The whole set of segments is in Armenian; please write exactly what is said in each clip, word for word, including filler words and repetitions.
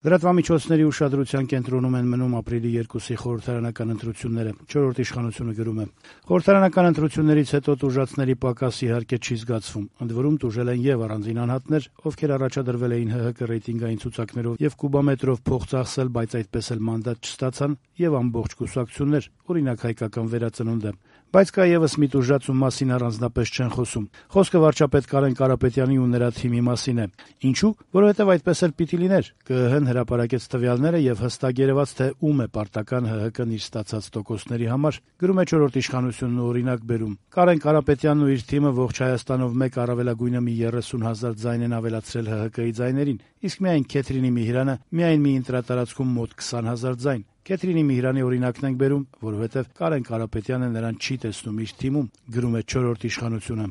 Լրատվամիջոցների ուշադրության կենտրոնում են մնում ապրիլի երկուսի խորհրդարանական ընտրությունները։ Չորրորդ իշխանությունը գրում է. խորհրդարանական ընտրություններից հետո տուժածների պակաս իհարկե չի զգացվում։ Ընդ որում տուժել են եւ առանձին անհատներ, ովքեր առաջադրվել էին ՀՀԿ ռեյտինգային ցուցակներով եւ կուբամետրով փող ծախսել, բայց այդպես էլ մանդատ չստացան, եւ ամբողջ կուսակցություններ, օրինակ հայկական վերածնունդը։ Բայց կա եւս մի տուժած, ում մասին առանձնապես չեն խոսում։ Խոսքը վարչապետ Կարեն Կարապետյանի ու նրա թիմի մասին է։ Ինչու՞, որովհետեւ այդպես էլ պիտի լիներ։ ԿԸՀ-ն հրապարակեց տվյալները եւ հստակ երևաց, թե ում է պարտական ՀՀԿ-ն իր ստացած տոկոսների համար, գրում է չորրորդ իշխանությունն ու օրինակ բերում։ Կարեն Կարապետյանն ու իր թիմը ողջ Հայաստանով մեկ առավելագույնը մի երեսուն հազար ձայն են ավելացրել ՀՀԿ-ի ձայներին, իսկ միայն Քեթրինի Միհրանը միայն մի ընտրատարածքում մոտ քսան հազար ձայն։ Քեթրինի Միհրանի օրինակն ենք բերում, որովհետև Կարեն Կարապետյանը նրան չի տեսնում իր թիմում, գրում է չորրորդ իշխանությունը։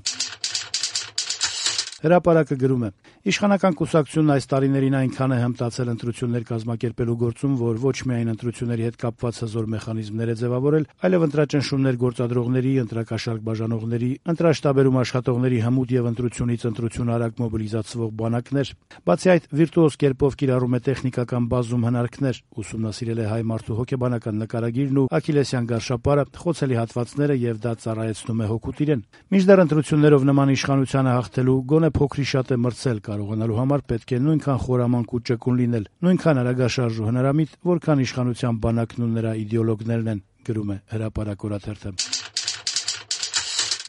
Հրապարակը գրում է. իշխանական կուսակցությունն այս տարիներին այնքան է հմտացել ընտրություններ կազմակերպելու գործում, որ ոչ միայն ընտրությունների հետ կապված հզոր մեխանիզմներ է ձևավորել, այլև ընտրաճնշումներ գործադրողների, ընտրակաշառք բաժանողների, ընտրաշտաբերում աշխատողների հմուտ եւ ընտրությունից ընտրություն արագ մոբիլիզացվող բանակներ։ Բացի այդ, վիրտուոզ կերպով կիրառում է տեխնիկական բազում հնարքներ, ուսումնասիրել է հայ մարդու հոգեբանական նկարագիրն ու աքիլեսյան գարշապարը, խոցելի հատվածները եւ դա ծառայեցնում է հոգուտ իրեն։ Մինչդեռ ընտրություններով նման իշխանությանը հաղթելու գոնե փոքրի շատ է մրցել կարողանալու համար պետք է նույնքան խորամանկ ու ճկուն լինել, նույնքան արագաշարժ ու հնարամիտ, որքան իշխանության բանակն ու նրա իդեոլոգներն են, գրում է Հրապարակ օրաթերթը։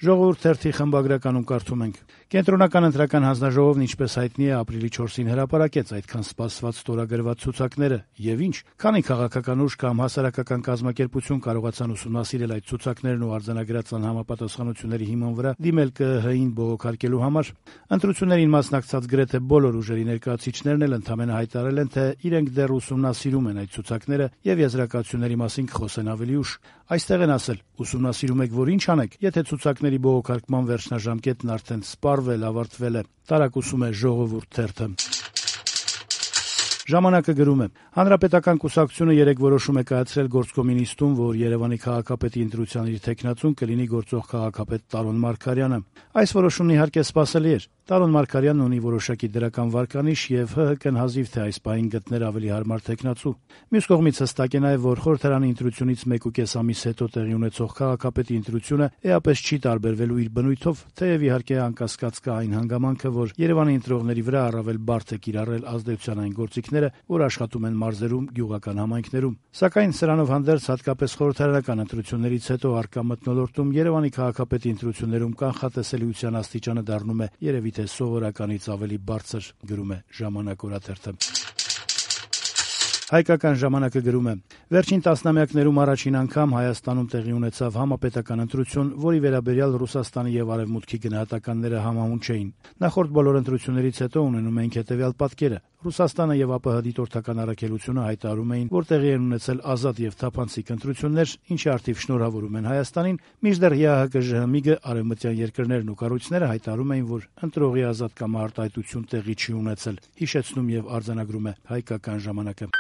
Ժողովուրդ թերթի խմբագրականում կարդում ենք. Կենտրոնական ընտրական հանձնաժողովն, ինչպես հայտնի է, ապրիլի չորսին հրապարակեց այդքան սպասված ստորագրված ցուցակները, եւ ինչ, քանի քաղաքական ուժ կամ հասարակական կազմակերպություն կարողացան ուսումնասիրել այդ ցուցակներն ու արձանագրած անհամապատասխանությունների հիման վրա դիմել ԿԸՀ-ին բողոքարկելու համար։ Ընտրություններին մասնակցած գրեթե բոլոր ուժերի ներկայացուցիչներն էլ ընդամենը հայտարարել են, թե իրենք դեռ ուսումնասիրում են այդ ցուցակները եւ եզրակացությունների մասին կխոսեն ավելի ուշ։ Այստեղ են ասել. ուսումնասիրում եք, որ ինչ անեք, եթե ցուցակների բողոքարկման վերջնաժամկետն արդեն սպառվել, ավարտվել է, տարակուսում է Ժողովուրդ թերթը։ Ժամանակը գրում է. Հանրապետական կուսակցությունը երեկ որոշում է կայացրել գործկոմի նիստում, որ Երևանի քաղաքապետի ընտրության իր թեկնածուն կլինի գործող քաղաքապետ Տարոն Մարգարյանը։ Այս որոշումն իհարկե սպասելի էր։ Տարոն Մարգարյանն ունի որոշակի դրական վարկանիշ եւ ՀՀԿ-ն հազիվ թե այս պահին գտներ ավելի հարմար թեկնածու։ Մյուս կողմից հստակ է նաեւ, որ խորհրդարանի ընտրությունից մեկուկես ամիս հետո տեղի ունեցող քաղաքապետի ընտրությունը էապես չի տարբերվելու իր բնույթով, թեև իհարկե անկասկած կա այն հանգամանքը, որ Երևանի ընտրողների վրա առավել բարդ է կիրառել ազդեցության այն գործիքները, որ աշխատում են մարզերում, գյուղական համայնքներում։ Սակայն սրանով հանդերձ, հատկապես խորհրդարանական ընտրություններից հետո առկա մթնոլորտում Երևանի քաղաքապետի ընտրություններում կանխատեսելիության աստիճանը դառնում է երևի թե սովորականից ավելի բարձր, գրում է Ժամանակ օրաթերթը։ Հայկական ժամանակը գրում է. Վերջին տասնամյակներում առաջին անգամ Հայաստանում տեղի ունեցավ համապետական ընտրություն, որի վերաբերյալ Ռուսաստանի եւ Արևմուտքի գնահատականները համահունչ էին։ Նախորդ բոլոր ընտրություններից հետո ունենում ենք հետեւյալ պատկերը. Ռուսաստանը եւ ԱՊՀ դիտորդական առաքելությունը հայտարարում էին, որ տեղի են ունեցել ազատ եւ թափանցիկ ընտրություններ, ինչի արդիվ շնորհավորում են Հայաստանին, մինչդեռ ԵԱՀԿ-ԺՀՄԻԳ, արևմտյան երկրներն ու կառույցները հայտարարում էին, որ ընտրողի ազատ կամ արտահայտություն տեղի չի ունեցել, հիշեցնում եւ արձանագրում է Հայկական ժամանակը։